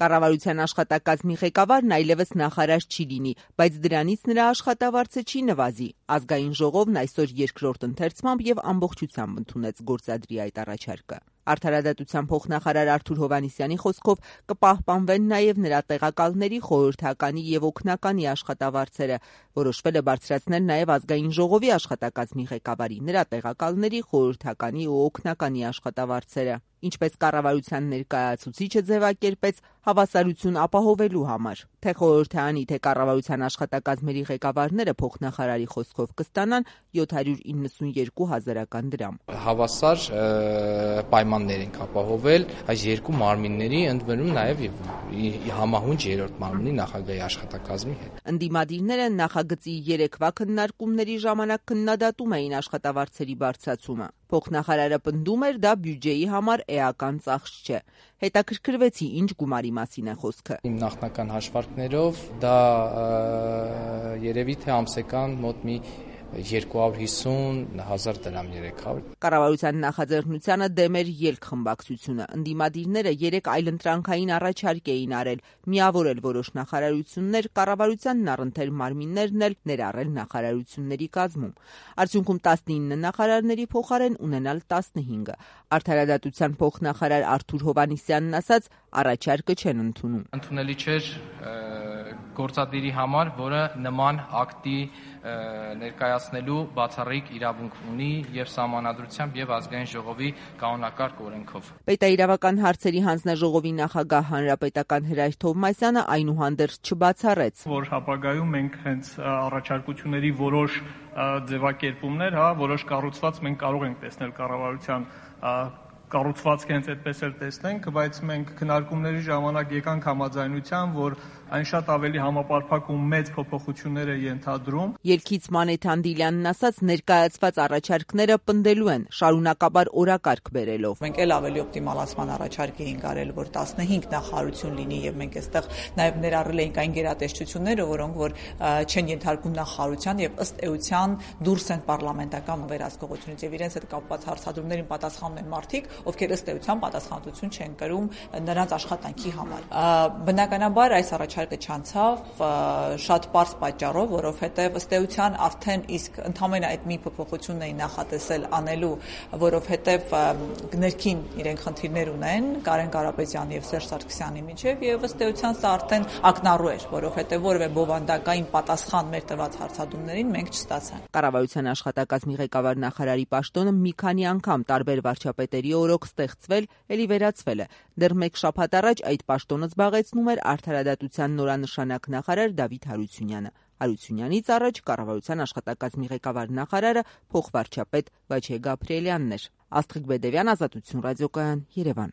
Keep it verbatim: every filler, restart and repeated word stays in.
Կառավարության աշխատակազմի ղեկավարն այլևս նախարար չի լինի, բայց դրանից նրա աշխատավարձը չի նվազի։ Ազգային ժողովն այսօր երկրորդ ընթերցմամբ եւ ամբողջությամբ ընդունեց գործադրի այդ առաջարկը։ Արդարադատության փոխնախարար Արթուր Հովհաննիսյանի խոսքով կպահպանվեն նաև նրա տեղակալների խորհրդականի եւ օգնականի աշխատավարձերը։ Որոշվել է բարձրացնել նաև ազգային ժողովի աշխատակազմի ղեկավարի, նրա տեղակալների, խորհրդականի ու օգնականի աշխատավարձերը։ Ինչպես կառավարության ներկայացուցիչը ձևակերպեց, հավասարություն ապահովելու համար։ Թե խորհրդարանի, թե կառավարության աշխատակազմերի ղեկավարները փոխնախարարի խոսքով կստանան յոթ հարյուր իննսունյերկու հազարական դրամ։ Հավասար պայմաններ ենք ապահովել այս երկու մարմինների, ընդ որում նաև համահունչ երրորդ մարմնի նախագահի աշխատակազմի հետ։ Ընդդիմադիրները նախագծի երեկվա քննարկումների ժամանակ քննադատում էին աշխատավարձերի բարձրացումը։ Փոխնախարարը պնդում էր, դա բյուջեի համար էական ծախս չէ։ Հետաքրքրվեցի, ինչ գումարի մասին է խոսքը։ Իմ նախնական հաշվարկներով դա երևի թե ամսական մոտ մի երկու հարյուր հիսուն հազար դրամ երեք հարյուր։ Կառավարության նախաձեռնությանը դեմ էր ելք խմբակցությունը։ Ընդդիմադիրները երեք այլընտրանքային առաջարկ էին արել, միավորել որոշ նախարարություններ, կառավարությանն առընթեր մարմիններն էլ ներառել նախարարությունների կազմում։ Արդյունքում տասնինը նախարարների փոխարեն ունենալ տասնհինգը։ Արդարադատության փոխնախարար Արթուր Հովհաննիսյանն ասաց, առաջարկը չեն ընդունում։ Ընդունելի չէր գործադիրի համար, որը նման ակտի ներկայացնելու բացառիկ իրավունք ունի եւ Սահմանադրությամբ եւ Ազգային ժողովի կանոնակարգ օրենքով։ Պետաիրավական հարցերի հանձնաժողովի նախագահ հանրապետական Հրայր Թովմասյանը այնուհանդերձ չբացառեց, որ ապագայում մենք հենց առաջարկությունների որոշ ձևակերպումներ, հա, որոշ կառուցված մենք կարող ենք տեսնել կառավարության կառուցվածքը հենց այդպես էլ տեսնենք, բայց մենք քննարկումների ժամանակ եկանք համաձայնության, որ այն շատ ավելի համապարփակ ու մեծ փոփոխություններ է ենթադրում։ Ելքից Մանեթ Անդիլյանն ասաց, ներկայացված առաջարկները պնդելու են, շարունակաբար օրակարգ բերելով։ Մենք էլ ավելի օպտիմալացման առաջարկ էինք արել, որ տասնհինգ նախարարություն լինի եւ մենք այստեղ նաեւ ներառել էինք այն գերատեսչությունները, որոնք որ չեն ենթարկում նախարարության եւ ըստ էության դուրս են պարլամենտական վերահսկողությունից եւ իրենց հետ կապված հարցադրումներին պատասխանում են մարդիկ, ովքեր ըստ էության պատասխանատվություն չեն կրում նրանց աշխատանքի համար։ Բնականաբար այս առաջարկը չանցավ շատ պարզ պատճառով, որովհետև ըստ էության արդեն իսկ ընդհանրապես այդ մի փոփոխությունն էին նախատեսել անելու, որովհետև ներքին իրենք խնդիրներ ունեն Կարեն Կարապետյանի եւ Սերժ Սարգսյանի միջեւ եւ ըստ էության սա արդեն ակնառու էր, որովհետև որևէ բովանդակային պատասխան մեր տված հարցադրումներին մենք չստացանք։ Կառավարության աշխատակազմի ղեկավար նախարարի պաշտոնը մի քանի անգամ տարբեր վարչապետերի օրոք ստեղծվել, ելի վերացվել է։ Դեռ մեկ շաբաթ առաջ այդ պաշտոնը զբաղեցնում էր արդարադատության նորանշանակ նախարար Դավիթ Հարությունյանը։ Հարությունյանից առաջ կառավարության աշխատակազմի ղեկավար նախարարը փոխվարչապետ Վաչե Գաբրիելյանն էր։ Աստղիկ Բեդևյան, Ազատություն ռադիոկայան, Երևան։